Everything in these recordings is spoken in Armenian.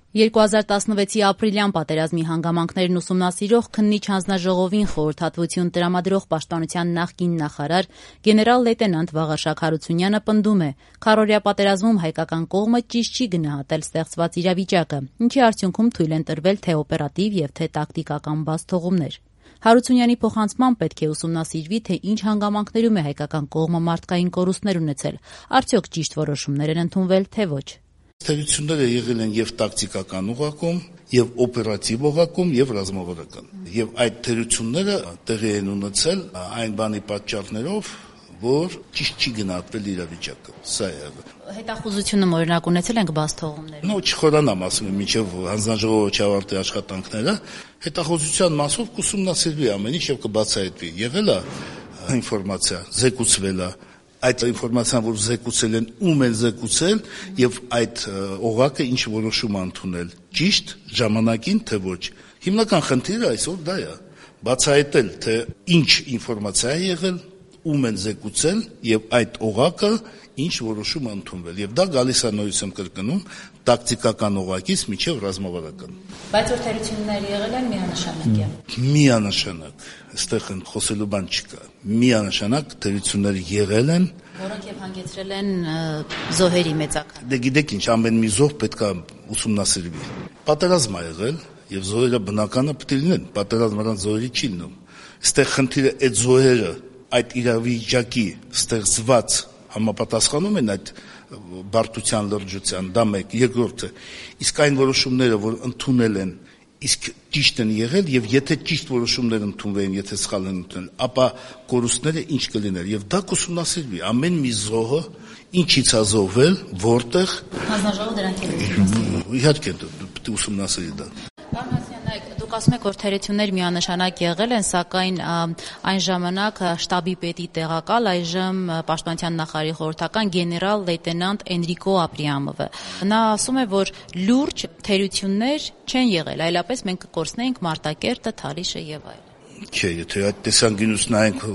2016-ի ապրիլյան պատերազմի հանգամանքներն ուսումնասիրող քննիչ հանձնաժողովին խորհրդատվություն տրամադրող Պաշտպանության նախկին նախարար գեներալ-լեյտենանտ Վաղարշակ Հարությունյանը պնդում է, քառօրյա պատերազմում հայկական կողմը ճիշտ չի գնահատել ստեղծված իրավիճակը, ինչի արդյունքում թույլ են տրվել թե օպերատիվ եւ թե տակտիկական բացթողումներ։ Հարությունյանի փոխանցմամբ պետք է ուսումնասիրվի, թե ինչ հանգամանքներում է հայկական կողմը մարդկային կորուստներ ունեցել, արդյոք ճիշտ որոշումներ են ընդունվել, թե ոչ։ Թերությունները եղել են եւ տակտիկական ուղղակում, եւ օպերատիվ ուղղակում, եւ ռազմավարական։ Եվ այդ թերությունները տեղի են ունեցել այն բանի պատճառներով, որ ճիշտ չի գնահատվել իրավիճակը։ Սա է եղել։ Հետախուզությունը օրինակ ունեցել ենք բացթողումներ։ Չխորանամ ասում եմ, մինչեւ հանձնաժողովը չավարտի աշխատանքները, հետախուզության մասով կուսումնասիրվի ամեն ինչ եւ կբացահայտվի։ Եղել է ինֆորմացիա, զեկուցվել է։ Այդ ինֆորմացիան, որ զեկուցել են, ում են զեկուցել եւ այդ օղակը ինչ որոշում ընդունել, ճիշտ ժամանակին թե ոչ։ Հիմնական խնդիրը այսօր դա է, բացահայտել, թե ինչ ինֆորմացիա է եղել, ում են զեկուցել եւ այդ օղակը ինչ որոշում ընդունվել։ Եվ դա գալիս է նորից եմ կրկնում տակտիկական օղակից մինչև ռազմավարական։ Բայց որ թերություններ եղել են միանշանակ է։ Միանշանակ, այստեղ խոսելու բան չկա։ Միանշանակ թերություններ եղել են, որոնք եւ հանգեցրել են զոհերի մեծական։ Դե գիտեք ինչ, ամեն մի զոհ պետք է ուսումնասիրվի։ Պատերազմ ա եղել եւ զոհերը բնականը պետք է լինեն, պատերազմ առանց զոհերի չի լինում։ Այստեղ խնդիրը այդ զոհերը այդ իրավիճակի ստեղծված համապատասխանում են այդ բարդության լրջության, դա մեկ, երկրորդը, իսկ այն որոշումները, որ ընդունել են, իսկ ճիշտ են եղել եւ եթե ճիշտ որոշումներ ընդունվեն, եթե սխալ են ընդունել, ապա կորուստները ինչ կլիներ եւ դա կուսումնասիրվի ամեն մի զոհը ինչից է զոհվել, որտեղ հանձնաժողովը դրանք է իհարկե պետք է ուսումնասիրի դա։ Դուք ասում եք, որ թերություններ միանշանակ եղել են, սակայն այն ժամանակ շտաբի պետի տեղակալ, այժմ Պաշտպանության նախարարի խորհրդական գեներալ-լեյտենանտ Էնրիկո Ապրիամովը։ Նա ասում է, որ լուրջ թերություններ չեն եղել, այլապես մենք կկորցնեինք Մարտակերտը, Թալիշը եւ այլն։ Չէ, եթե այդ տեսանկյունից նայենք,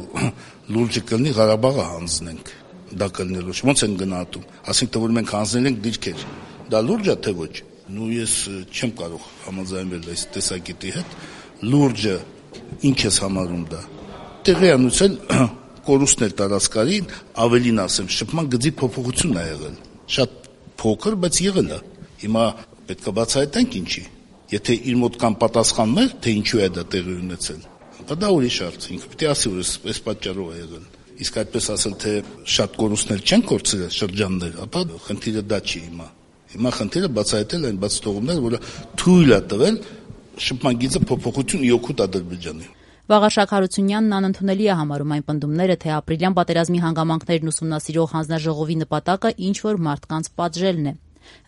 լուրջը կլինի Ղարաբաղը հանձնենք, դա կլինի լուրջ։ Ոնց են գնահատում։ Ասենք թե որ մենք հանձնել ենք դիրքեր։ Դա լուրջ է թե ոչ։ Ես չեմ կարող համաձայնվել այս տեսակետի հետ, լուրջը ինչ ես համարում դա։ Տեղի անցել կորուստներ տարածքային, ավելին ասեմ, շփման գծի փոփոխություն է եղել։ Շատ փոքր, բայց եղել է։ Հիմա պետք է բացահայտենք ինչի։ Եթե իր մոտ կան պատասխաններ, թե ինչու է դա տեղի ունեցել, ապա դա ուրիշ հարց, ինքը պետք է ասի, որ այս պատճառով է եղել։ Իսկ այդպես ասել, թե շատ կորուստներ չեն կորցրել շրջաններ, ապա խնդիրը դա չի հիմա։ Հիմա խնդիրը բացահայտել այն բացթողումները, որը թույլ է տվել շփման գիծը փոփոխություն իօքուտ Ադրբեջանի։ Վաղարշակ Հարությունյանն անընդունելի է համարում այն պնդումները, թե ապրիլյան պատերազմի հանգամանքներն ուսումնասիրող հանձնաժողովի նպատակը ինչ-որ մարդկանց պատժելն է։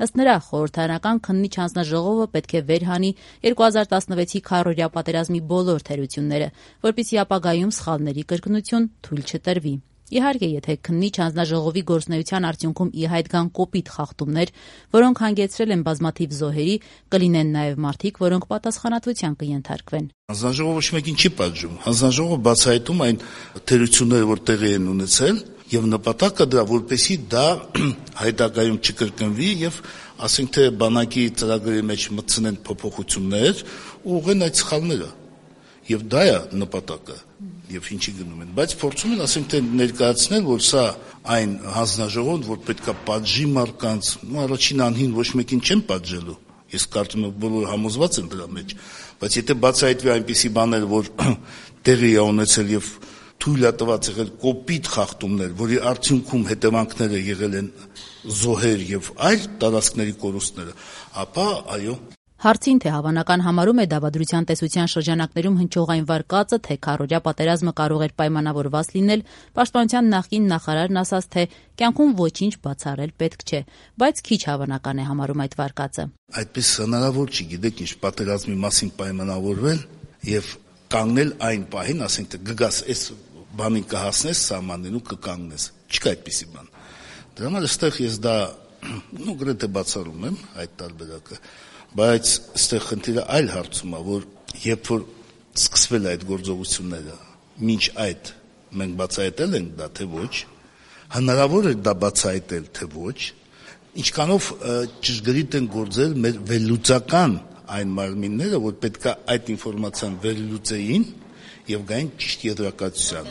Ըստ նրա, խորհրդարանական քննիչ հանձնաժողովը պետք է վերհանի 2016-ի քառօրյա պատերազմի բոլոր թերությունները, որպեսզի ապագայում սխալների կրկնություն թույլ չտրվի։ Իհարկե, եթե քննիչ հանձնաժողովի գործունեության արդյունքում ի հայտ գան կոպիտ խախտումներ, որոնք հանգեցրել են բազմաթիվ զոհերի, կլինեն նաև մարդիկ, որոնք պատասխանատվության կենթարկվեն։ Հանձնաժողովը ոչ մեկին չի պատժում։ Հանձնաժողովը բացահայտում այն թերությունները, որ տեղի են ունեցել, եւ նպատակը դրա, որպեսզի դա հայտակայում չկրկնվի եւ ասենք թե բանակի ծրագրի մեջ մտցնեն փոփոխություններ ու ուղղեն այդ սխալները։ Եվ դա է նպատակը, եւ ինչի գնում են, բայց փորձում են ասենք թե ներկայացնել, որ սա այն հանձնաժողովն, որ պետքա պատժի մարդկանց, առաջին անհին ոչ մեկին չեն պատժելու։ Ես կարծում եմ բոլորը համոզված են դրա մեջ, բայց եթե բացահայտվի այնպիսի բաներ, որ տեղի է ունեցել եւ թույլ է տված եղել կոպիտ խախտումներ, որի արդյունքում հետևանքները եղել են զոհեր եւ այլ տարածքների կորուստները, ապա այո։ Հարցին, թե հավանական համարում է դավադրության տեսության շրջանակներում հնչող այն վարկածը, թե քառօրյա պատերազմը կարող էր պայմանավորված լինել, Պաշտպանության նախկին նախարարն ասաց, թե կյանքում ոչինչ բացառել պետք չէ, բայց քիչ հավանական է համարում այդ վարկածը։ Այդպես հնարավոր չի, գիտեք ինչ, պատերազմի մասին պայմանավորվել եւ կանգնել այն պահին, ասենք թե գգաս այս բանին կհասնես սահմանին ու կկանգնես։ Չկա այդպիսի բան։ Դրա համար այստեղ ես դա գրեթե բացառում եմ այդ տարբերակը, բայց այստեղ խնդիրը այլ հարցում է, որ երբ որ սկսվել այդ գործողությունները, մինչ այդ մենք բացահայտել ենք դա թե ոչ, հնարավոր է դա բացահայտել թե ոչ, Ինչքանով ճշգրիտ են գործել մեր վերլուծական այն մարմինները, որ պետքա այդ ինֆորմացիան վերլուծեին եւ գային ճիշտ եզրակացության։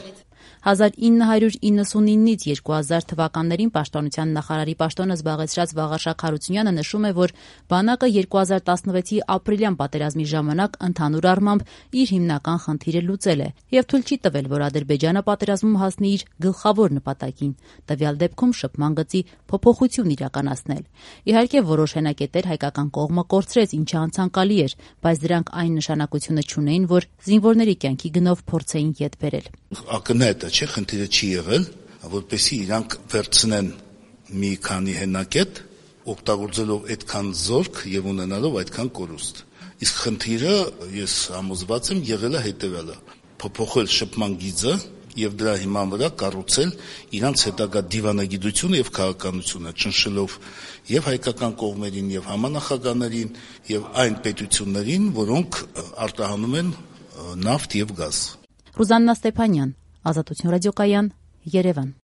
1999-ից 2000 թվականներին Պաշտպանության նախարարի պաշտոնը զբաղեցրած Վաղարշակ Հարությունյանը նշում է, որ բանակը 2016-ի ապրիլյան պատերազմի ժամանակ ընդհանուր առմամբ իր հիմնական խնդիրը լուծել է եւ թույլ չի տվել, որ Ադրբեջանը պատերազմում հասնի իր գլխավոր նպատակին՝ տվյալ դեպքում շփման գծի փոփոխություն իրականացնել։ Իհարկե, որոշ հենակետեր հայկական կողմը կորցրեց, ինչը անցանկալի էր, բայց դրանք այն նշանակությունը չունեին, որ զինվորների կյանքի գնով փորձեին ետ բերել։ Ակնհայտ չէ, խնդիրը չի եղել, որպեսզի իրանք վերցնեն մի քանի հենակետ, օգտագործելով այդքան զորք եւ ունենալով այդքան կորուստ։ Իսկ խնդիրը, ես համոզված եմ, եղել է հետեւյալը՝ փոփոխել շփման գիծը եւ դրա հիման վրա կառուցել իրանց հետագա դիվանագիտությունը եւ քաղաքականությունը, ճնշելով եւ հայկական կողմերին եւ համանախագահներին եւ այն պետություններին, որոնք արտահանում են նավթ եւ գազ։ Ռուզաննա Ստեփանյան, Ազատություն ռադիոկայան, Երևան։